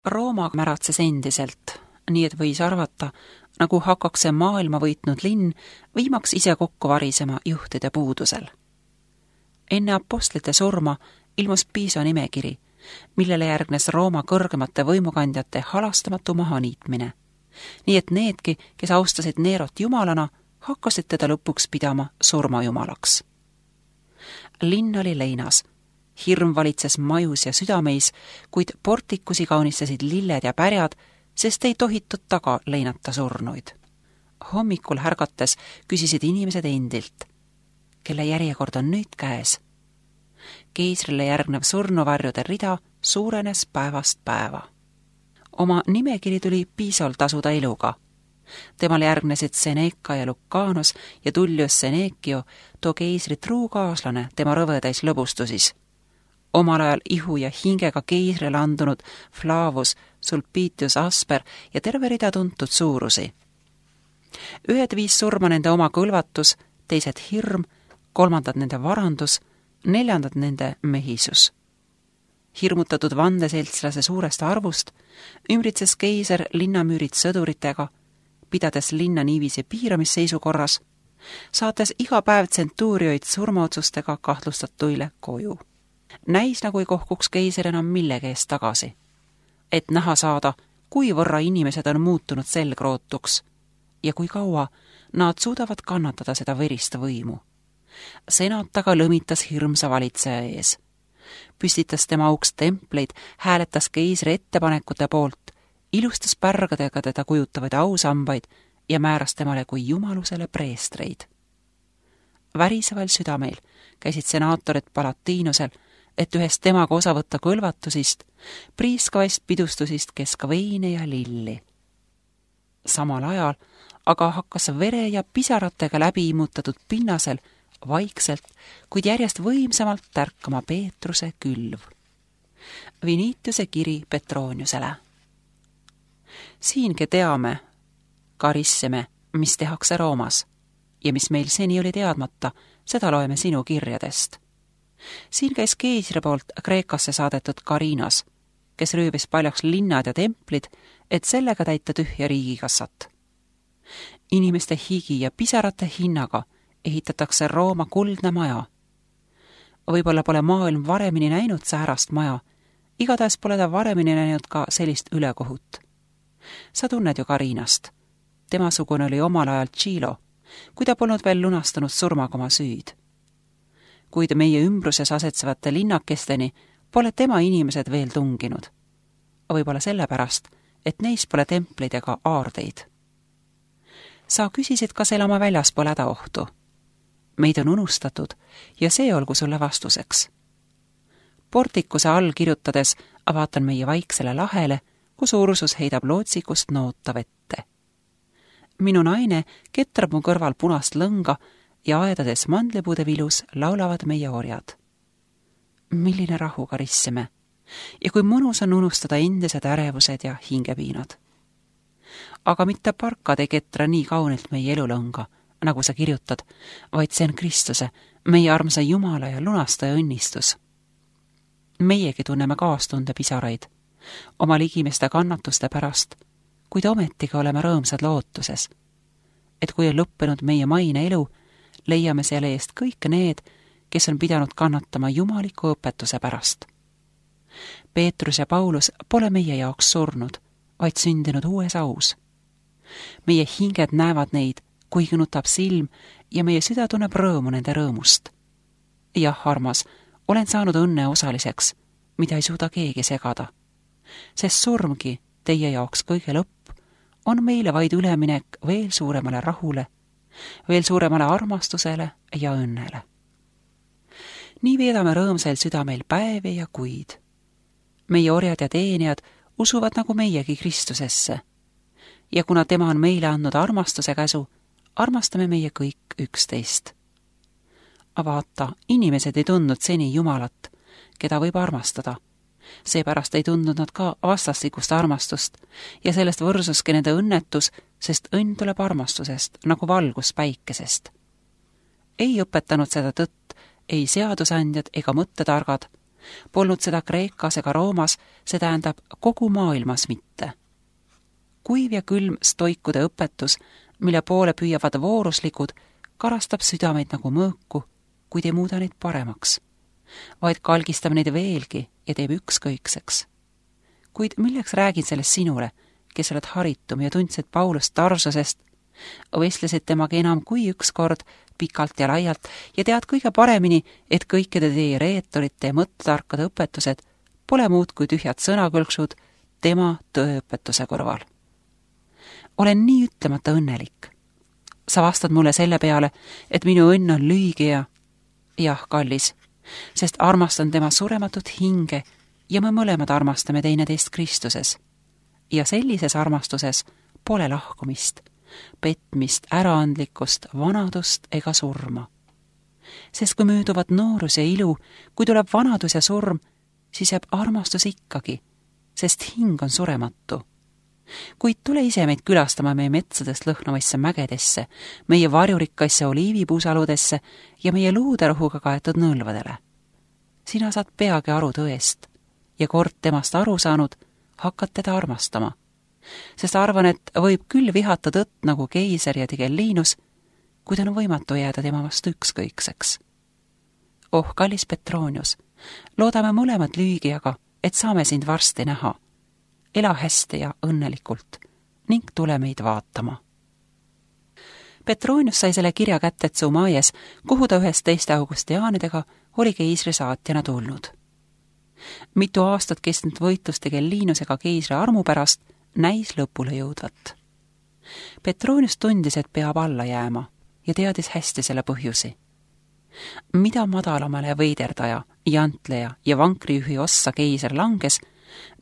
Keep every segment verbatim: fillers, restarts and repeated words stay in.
Rooma märatses endiselt, nii et võis arvata, nagu hakkaks see maailma võitnud linn viimaks ise kokku varisema juhtide puudusel. Enne apostlite surma ilmus Piisa nimekiri, millele järgnes Rooma kõrgemate võimukandjate halastamatu mahaniitmine. Nii et needki, kes austasid Nerot jumalana, hakkasid teda lõpuks pidama surmajumalaks. Linn oli leinas. Hirm valitses majus ja südameis, kuid portikusi kaunistasid lilled ja pärjad, sest ei tohitud taga leinata surnuid. Hommikul härgates küsisid inimesed endilt, kelle järjekord on nüüd käes. Keisrile järgnev surnuvarjude rida suurenes päevast päeva. Oma nimekiri tuli Piisal tasuda eluga. Temal järgnesid Seneca ja Lucanus ja Tullius Senekio, too keisri truu kaaslane tema rõvedais lõbustusis. Omal ajal ihu ja hingega keisrile andunud Flavus, Sulpitius Asper ja terve rida tuntud suurusi. Ühed viis surma nende oma kõlvatus, teised hirm, kolmandad nende varandus, neljandad nende mehisus. Hirmutatud vandeseltslase suurest arvust ümbritses keiser linnamüürid sõduritega, pidades linna niiviisi piiramisseisukorras, saates iga päev tsentuurioid surmaotsustega kahtlustatuile koju. Näis nagu ei kohkuks keiser enam millegi eest tagasi, et näha saada, kui võrra inimesed on muutunud selgrootuks ja kui kaua nad suudavad kannatada seda verist võimu. Senat aga lõmitas hirmsa valitseja ees. Püstitas tema auks templeid, hääletas keisri ettepanekute poolt, ilustas pärgadega teda kujutavaid ausambaid ja määras temale kui jumalusele preestreid. Väriseval südameil käisid senaatorid Palatiinusel, et ühest temaga osa võtta kõlvatusist, priiskavaist pidustusist keska veine ja lilli. Samal ajal aga hakkas vere ja pisaratega läbi immutatud pinnasel vaikselt, kuid järjest võimsamalt tärkama Peetruse külv. Vinitiuse kiri Petroniusele. Siingi teame, karissime, mis tehakse Roomas ja mis meil seni oli teadmata, seda loeme sinu kirjadest. Siin käis keisri poolt Kreekasse saadetud Karinas, kes rüübis paljaks linnad ja templid, et sellega täita tühja riigikassat. Inimeste higi ja pisarate hinnaga ehitatakse Rooma kuldne maja. Võib-olla pole maailm varemini näinud säärast maja, igatahes pole ta varemini näinud ka sellist ülekohut. Sa tunned ju Karinast. Temasugune oli omal ajal Tšilo, kui ta polnud veel lunastanud surmaga oma süüd. Kuid meie ümbruses asetsevate linnakesteni pole tema inimesed veel tunginud. Võib-olla sellepärast, et neis pole templeid ega aardeid. Sa küsisid, kas elama väljas pole hädaohtu. Meid on unustatud ja see olgu sulle vastuseks. Portikuse all kirjutades vaatan meie vaiksele lahele, kus Ursus heidab lootsikust noota vette. Minu naine ketrab mu kõrval punast lõnga ja aedades mandlipuude vilus laulavad meie orjad. Milline rahu karissime ja kui mõnus on unustada endised ärevused ja hingepiinad. Aga mitte parkad ei ketra nii kaunilt meie elulõnga, nagu sa kirjutad, vaid see on Kristuse, meie armsa Jumala ja lunastaja õnnistus. Meiegi tunneme kaastunde pisaraid, oma ligimeste kannatuste pärast, kuid ometigi oleme rõõmsad lootuses, et kui on lõppenud meie maine elu, leiame selle eest kõik need, kes on pidanud kannatama jumaliku õpetuse pärast. Peetrus ja Paulus pole meie jaoks surnud, vaid sündinud uues aus. Meie hinged näevad neid, kuigi nutab silm ja meie süda tunneb rõõmu nende rõõmust. Jah, armas, olen saanud õnne osaliseks, mida ei suuda keegi segada. Sest surmgi, teie jaoks kõige lõpp, on meile vaid üleminek veel suuremale rahule, veel suuremale armastusele ja õnnele. Nii veedame rõõmsal südameil päevi ja kuid. Meie orjad ja teenijad usuvad nagu meiegi Kristusesse. Ja kuna tema on meile andnud armastuse käsu, armastame meie kõik üksteist. Vaata, inimesed ei tundnud seni Jumalat, keda võib armastada. Seepärast ei tundnud nad ka vastastikust armastust ja sellest võrsuski nende õnnetus, sest õnn tuleb armastusest, nagu valgus päikesest. Ei õpetanud seda tõtt ei seadusandjad ega mõttetargad, Polnud seda Kreekas ega Roomas, see tähendab kogu maailmas mitte. Kuiv ja külm stoikude õpetus, mille poole püüavad vooruslikud, karastab südameid nagu mõõku, kuid ei muuda neid paremaks, vaid kalgistab neid veelgi ja teeb ükskõikseks. Kuid milleks räägin sellest sinule, kes oled haritum ja tundsid Paulust Tarsusest, vestlesid temaga enam kui üks kord pikalt ja laialt ja tead kõige paremini, et kõikide teie reetorite ja mõttetarkade õpetused pole muud kui tühjad sõnakõlksud tema tõeõpetuse kõrval. Olen nii ütlemata õnnelik. Sa vastad mulle selle peale, et minu õnn on lühige ja jah, kallis, sest armastan tema surematut hinge ja me mõlemad armastame teineteist Kristuses. Ja sellises armastuses pole lahkumist, petmist, äraandlikkust, vanadust ega surma. Sest kui mööduvad noorus ja ilu, kui tuleb vanadus ja surm, siis jääb armastus ikkagi, sest hing on surematu. Kuid tule ise meid külastama meie metsadest lõhnavaisse mägedesse, meie varjurikkaisse oliivipuusaludesse ja meie luuderohuga kaetud nõlvadele. Sina saad peagi aru tõest ja kord temast aru saanud, hakkad teda armastama. Sest arvan, et võib küll vihata tõtt nagu keiser ja Tigellinus, kuid on võimatu jääda tema vastu ükskõikseks. Oh, kallis Petronius, loodame mõlemad lüügijaga, et saame sind varsti näha. Ela hästi ja õnnelikult ning tule meid vaatama. Petronius sai selle kirja kätte Tsumaies, kuhu ta ühest teiste augustiaanidega oli keisri saatjana tulnud. Mitu aastat kestnud võitlus Tigellinusega keisri armu pärast näis lõpule jõudvat. Petronius tundis, et peab alla jääma ja teadis hästi selle põhjusi. Mida madalamale veiderdaja, jantleja ja vankrijuhi ossa keiser langes,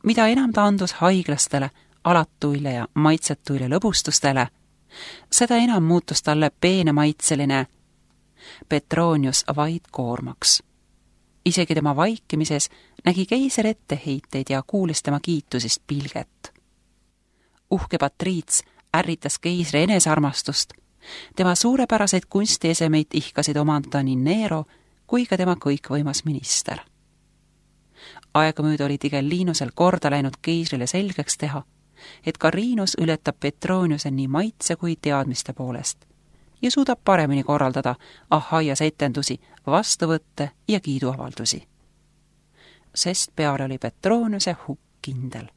mida enam ta andus haiglastele, alatuile ja maitsetuile lõbustustele, seda enam muutus talle peenemaitseline Petronius vaid koormaks. Isegi tema vaikimises nägi keiser etteheiteid ja kuulis tema kiitusist pilget. Uhke patriits ärritas keisri enesarmastust, tema suurepäraseid kunstiesemeid ihkasid omandada nii Nero kui ka tema kõikvõimas minister. Aegamööda oli Tigellinusel korda läinud keisrile selgeks teha, et Carinus ületab Petroniuse nii maitse kui teadmiste poolest ja suudab paremini korraldada Ahaias etendusi, vastuvõtte ja kiiduavaldusi. Sest peale oli Petroniuse hukk kindel.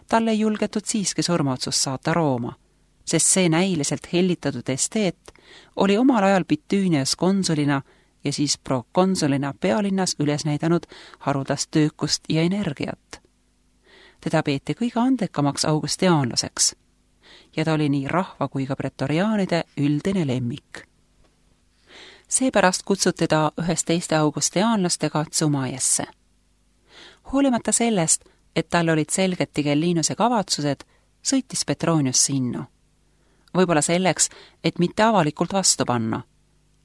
Talle ei julgetud siiski surmaotsust saata Rooma, sest see näiliselt hellitatud esteet oli omal ajal Bitüünias konsulina ja siis prokonsulina pealinnas üles näidanud haruldast töökust ja energiat. Teda peeti kõige andekamaks augustiaanlaseks ja ta oli nii rahva kui ka pretoriaanide üldine lemmik. Seepärast kutsuti ta ühest teiste augustiaanlastega Tsumaiesse. Hoolimata sellest, et tal olid selged Tigellinuse kavatsused, sõitis Petronius sinna. Võib-olla selleks, et mitte avalikult vastu panna.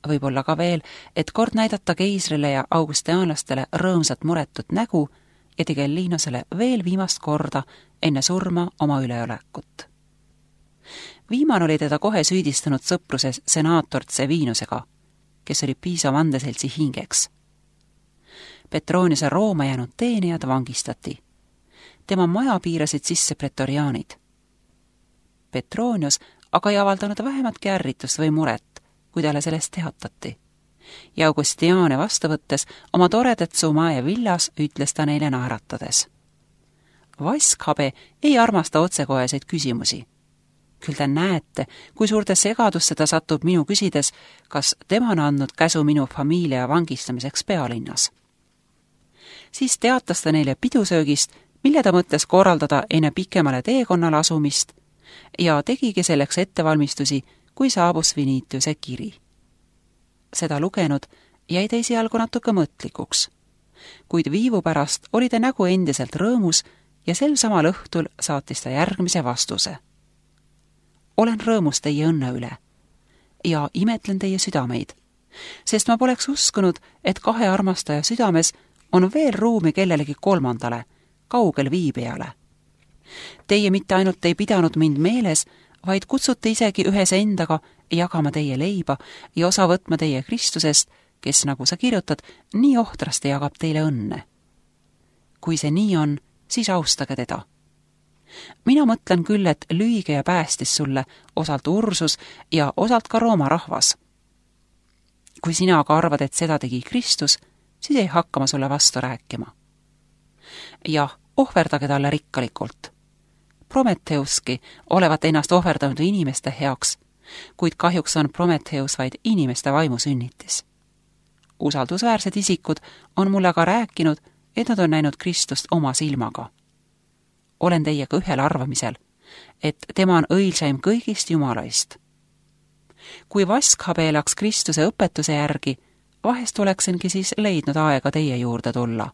Võib-olla ka veel, et kord näidata keisrile ja augustiaanlastele rõõmsat muretut nägu ja Tigellinusele veel viimast korda enne surma oma üleolekut. Viimane oli teda kohe süüdistanud sõpruses senaator Tsevinusega, kes oli Piisa vandeseltsi hingeks. Petroniuse Rooma jäänud teenijad vangistati. Tema maja piirasid sisse pretoriaanid. Petronius aga ei avaldanud vähematki ärritust või muret, kui talle sellest teatati. Ja Augustiane vastu võttes oma toredat Tsumaie villas ütles ta neile naeratades. Vaskhabe ei armasta otsekoheseid küsimusi. Küll te näete, kui suurde segadusse ta satub minu küsides, kas tema on andnud käsu minu familia vangistamiseks pealinnas. Siis teatas ta neile pidusöögist, mille ta mõtles korraldada enne pikemale teekonnale asumist ja tegigi selleks ettevalmistusi, kui saabus Vinitiuse kiri. Seda lugenud jäi ta esialgu natuke mõtlikuks, kuid viivu pärast oli ta nägu endiselt rõõmus ja sel samal õhtul saatis ta järgmise vastuse. Olen rõõmus teie õnne üle ja imetlen teie südameid, sest ma poleks uskunud, et kahe armastaja südames on veel ruumi kellelegi kolmandale, kaugel viibijale. Teie mitte ainult ei pidanud mind meeles, vaid kutsute isegi ühes endaga jagama teie leiba ja osa võtma teie Kristusest, kes, nagu sa kirjutad, nii ohtrasti jagab teile õnne. Kui see nii on, siis austage teda. Mina mõtlen küll, et lüüge ja päästis sulle osalt Ursus ja osalt ka Rooma rahvas. Kui sina aga arvad, et seda tegi Kristus, siis ei hakka ma sulle vastu rääkima. Jah, ohverdage talle rikkalikult. Prometheuski olevat ennast ohverdanud inimeste heaks, kuid kahjuks on Prometheus vaid inimeste vaimu sünnitis. Usaldusväärsed isikud on mulle aga rääkinud, et nad on näinud Kristust oma silmaga. Olen teiega ühel arvamisel, et tema on õilsaim kõigist jumalaist. Kui Vaskhabe läks Kristuse õpetuse järgi, vahest oleksingi siis leidnud aega teie juurde tulla.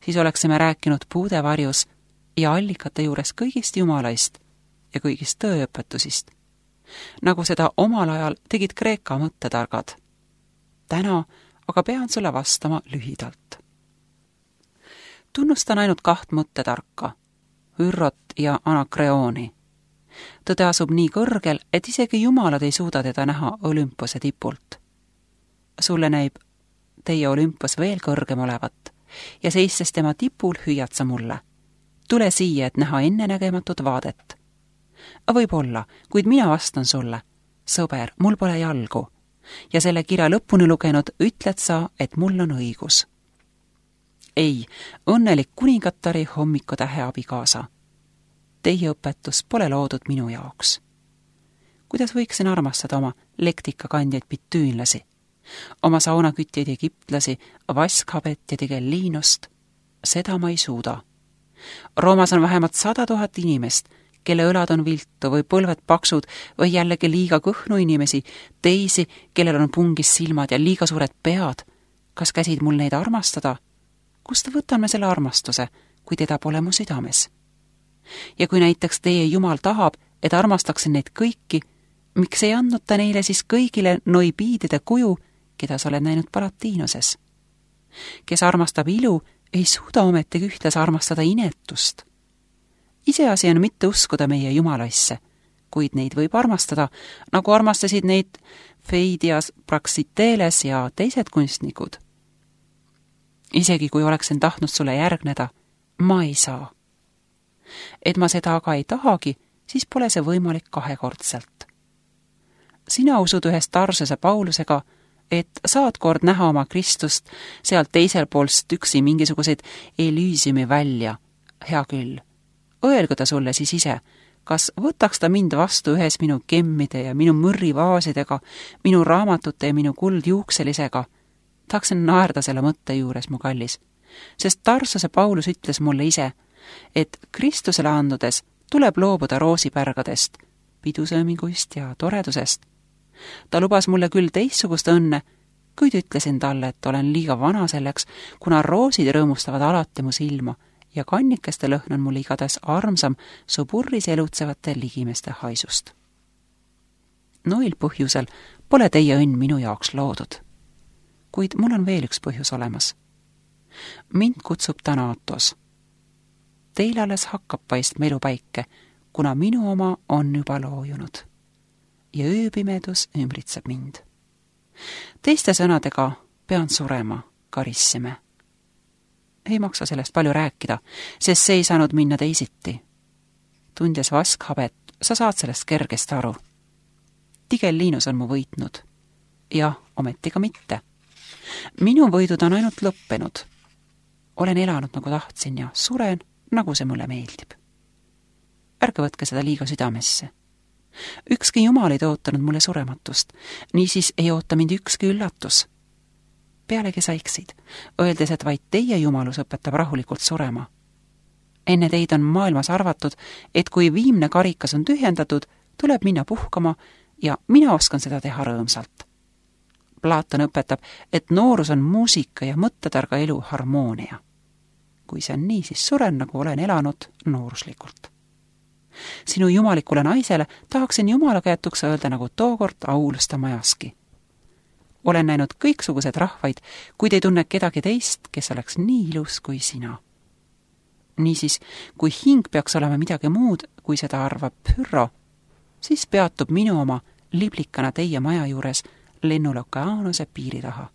Siis oleksime rääkinud puude varjus ja allikate juures kõigist jumalaist ja kõigist tõeõpetusist, nagu seda omal ajal tegid Kreeka mõttetargad. Täna aga pean sulle vastama lühidalt. Tunnustan ainult kaht mõttetarka, Hürrot ja Anakreoni. Tõde asub nii kõrgel, et isegi jumalad ei suuda teda näha Olümpose tipult. Sulle näib teie Olympos veel kõrgem olevat ja seistes tema tipul hüüad sa mulle. Tule siia, et näha ennenägematut vaadet. Võib-olla, kuid mina vastan sulle. Sõber, mul pole jalgu. Ja selle kirja lõpuni lugenud ütled sa, et mul on õigus. Ei, õnnelik kuningatari hommikutähe abikaasa. Teie õpetus pole loodud minu jaoks. Kuidas võiksin armastada oma lektikakandjaid bitüünlasi, oma saunakütjaid egiptlasi, Vaskhabet ja Tigellinost? Seda ma ei suuda. Roomas on vähemalt sada tuhat inimest, kelle õlad on viltu või põlved paksud või jällegi liiga kõhnu inimesi, teisi, kellel on pungis silmad ja liiga suured pead. Kas käsid mul neid armastada? Kust võtan me selle armastuse, kui teda pole mu südames? Ja kui näiteks teie Jumal tahab, et armastaksin neid kõiki, miks ei andnud ta neile siis kõigile noibiidide kuju, keda sa oled näinud Palatiinoses? Kes armastab ilu, ei suuda ometigi ühtlasi armastada inetust. Iseasi on mitte uskuda meie Jumalaisse, kuid neid võib armastada, nagu armastasid neid Feidias, Praxiteles ja teised kunstnikud. Isegi kui oleksin tahtnud sulle järgneda, ma ei saa. Et ma seda aga ei tahagi, siis pole see võimalik kahekordselt. Sina usud ühest Tarsuse Paulusega, et saad kord näha oma Kristust sealt teisel poolst üksi mingisuguseid Elysiumi välja. Hea küll. Öelgu ta sulle siis ise, kas võtaks ta mind vastu ühes minu kemmide ja minu mõrrivaasidega, minu raamatute ja minu kuldjuukselisega? Tahaksin naerda selle mõtte juures, mu kallis, sest Tarsuse Paulus ütles mulle ise, et Kristusele andudes tuleb loobuda roosipärgadest, pidusööminguist ja toredusest. Ta lubas mulle küll teistsugust õnne, kuid ütlesin talle, et olen liiga vana selleks, kuna roosid rõõmustavad alati mu silma ja kannikeste lõhn on mul igatahes armsam suburris elutsevate ligimeste haisust. Noil põhjusel pole teie õnn minu jaoks loodud. Kuid mul on veel üks põhjus olemas. Mind kutsub täna Atos. Teil alles hakkab paistma elupäike, kuna minu oma on juba loojunud. Ja ööpimedus ümbritseb mind. Teiste sõnadega pean surema, Karissime. Ei maksa sellest palju rääkida, sest see ei saanud minna teisiti. Tundes Vaskhabet, sa saad sellest kergesti aru. Tigellinus on mu võitnud. Ja ometi ka mitte. Minu võidud on ainult lõppenud. Olen elanud nagu tahtsin ja suren, nagu see mulle meeldib. Ärge võtke seda liiga südamesse. Ükski Jumal ei ootanud mulle surematust, niisiis ei oota mind ükski üllatus. Pealegi saiksid, öeldes, et vaid teie Jumalus õpetab rahulikult surema. Enne teid on maailmas arvatud, et kui viimne karikas on tühjendatud, tuleb minna puhkama ja mina oskan seda teha rõõmsalt. Platon õpetab, et noorus on muusika ja mõttetarga elu harmoonia. Kui see on nii, siis suren, nagu olen elanud nooruslikult. Sinu jumalikule naisele tahaksin Jumala käetuks öelda nagu tookord Aulusta majaski. Olen näinud kõiksugused rahvaid, kuid ei tunne kedagi teist, kes oleks nii ilus kui sina. Niisiis, kui hing peaks olema midagi muud, kui seda arvab Pyrrho, siis peatub minu oma liblikana teie maja juures lennul okeaanuse piiri taha.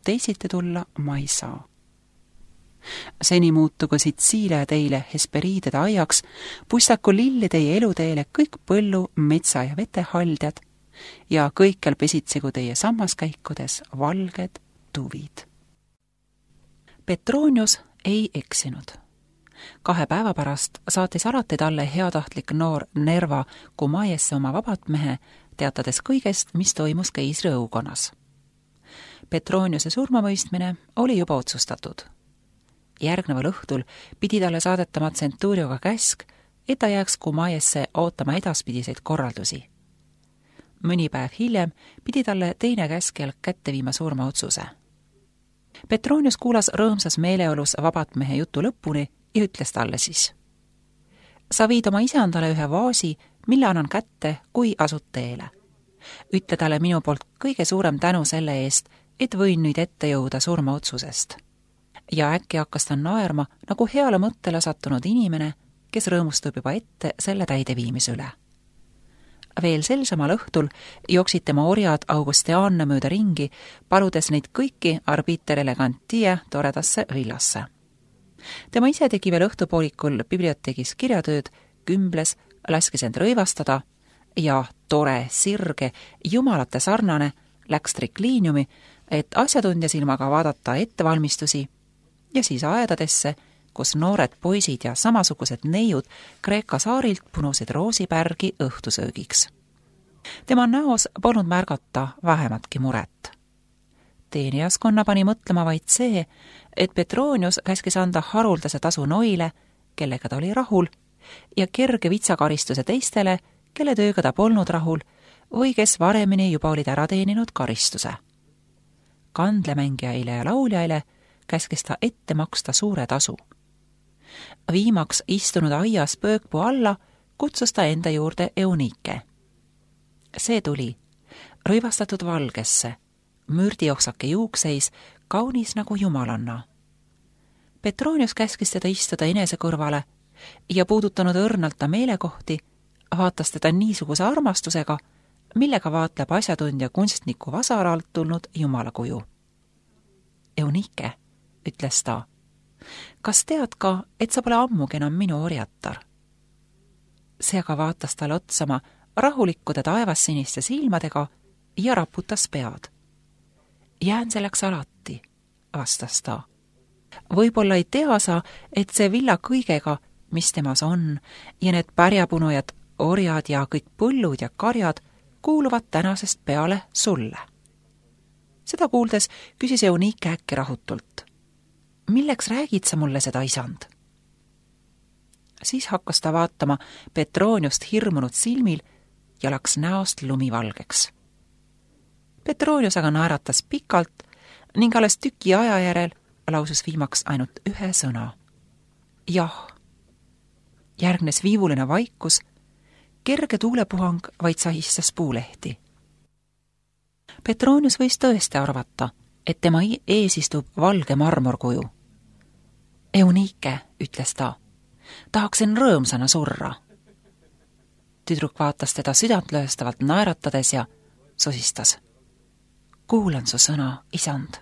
teisiti tulla ma ei saa. Seni muutugu Sitsiilia teile Hesperiidide aiaks, pustaku lilli teie eluteele kõik põllu, metsa ja vetehaldjad ja kõikjal pesitsegu teie sammaskäikudes valged tuvid. Petronius ei eksinud. Kahe päeva pärast saatis alati talle heatahtlik noor Nerva Kumaiesse oma vabatmehe, teatades kõigest, mis toimus keisri õukonnas. Petroniuse surmamõistmine oli juba otsustatud. Järgneval õhtul pidi talle saadetama Centurioga käsk, et ta jääks Kumaiesse ootama edaspidiseid korraldusi. Mõni päev hiljem pidi talle teine käskjal kätte viima surmaotsuse. Petronius kuulas rõõmsas meeleolus vabatmehe jutu lõpuni ja ütles talle siis: sa viid oma isandale ühe vaasi, mille annan kätte, kui asud teele. Ütle talle minu poolt kõige suurem tänu selle eest, et võin nüüd ette jõuda surmaotsusest. Ja äkki hakkas ta naerma nagu heale mõttele sattunud inimene, kes rõõmustub juba ette selle täideviimise üle. Veel sel samal õhtul jooksid tema orjad Augustianne mööda ringi, paludes neid kõiki arbiter elegantia toredasse villasse. Tema ise tegi veel õhtupoolikul biblioteegis kirjatööd, kümbles, laskis end rõivastada ja tore, sirge, jumalate sarnane läks trikliiniumi, et asjatundja silmaga vaadata ettevalmistusi ja siis aedadesse, kus noored poisid ja samasugused neiud Kreeka saarilt punusid roosipärgi õhtusöögiks. Tema näos polnud märgata vähematki muret. Teenijaskonna pani mõtlema vaid see, et Petronius käskis anda haruldase tasu noile, kellega ta oli rahul, ja kerge vitsakaristuse teistele, kelle tööga ta polnud rahul või kes varemini juba olid ära teeninud karistuse. Kandlemängijaile ja lauljaile käskis ta ette maksta suure tasu. Viimaks istunud aias pöökpuu alla kutsus ta enda juurde Eunike. See tuli, rõivastatud valgesse, mürdioksake juukseis, kaunis nagu jumalanna. Petronius käskis teda istuda enese kõrvale ja puudutanud õrnalt ta meelekohti, vaatas teda niisuguse armastusega, millega vaatleb asjatundja kunstniku vasaralt tulnud jumalakuju. Eunike, ütles ta, kas tead ka, et sa pole ammugi enam minu orjatar? See aga vaatas talle otsama rahulikkude taevassiniste silmadega ja raputas pead. Jään selleks alati, vastas ta. Võib-olla ei tea sa, et see villa kõigega, mis temas on, ja need pärjapunujad, orjad ja kõik põllud ja karjad kuuluvad tänasest peale sulle. Seda kuuldes küsis Eunike äkki rahutult. Milleks räägid sa mulle seda, isand? Siis hakkas ta vaatama Petroniust hirmunud silmil ja laks näost lumivalgeks. Petronius aga naeratas pikalt ning alles tüki aja järel lausus viimaks ainult ühe sõna. Jah. Järgnes viivuline vaikus, kerge tuulepuhang vaid sahistas puulehti. Petronius võis tõesti arvata, et tema ees istub valge marmorkuju. Eunike, ütles ta, tahaksin rõõmsana surra. Tüdruk vaatas teda südantlööstavalt naeratades ja sosistas. Kuulan su sõna, isand.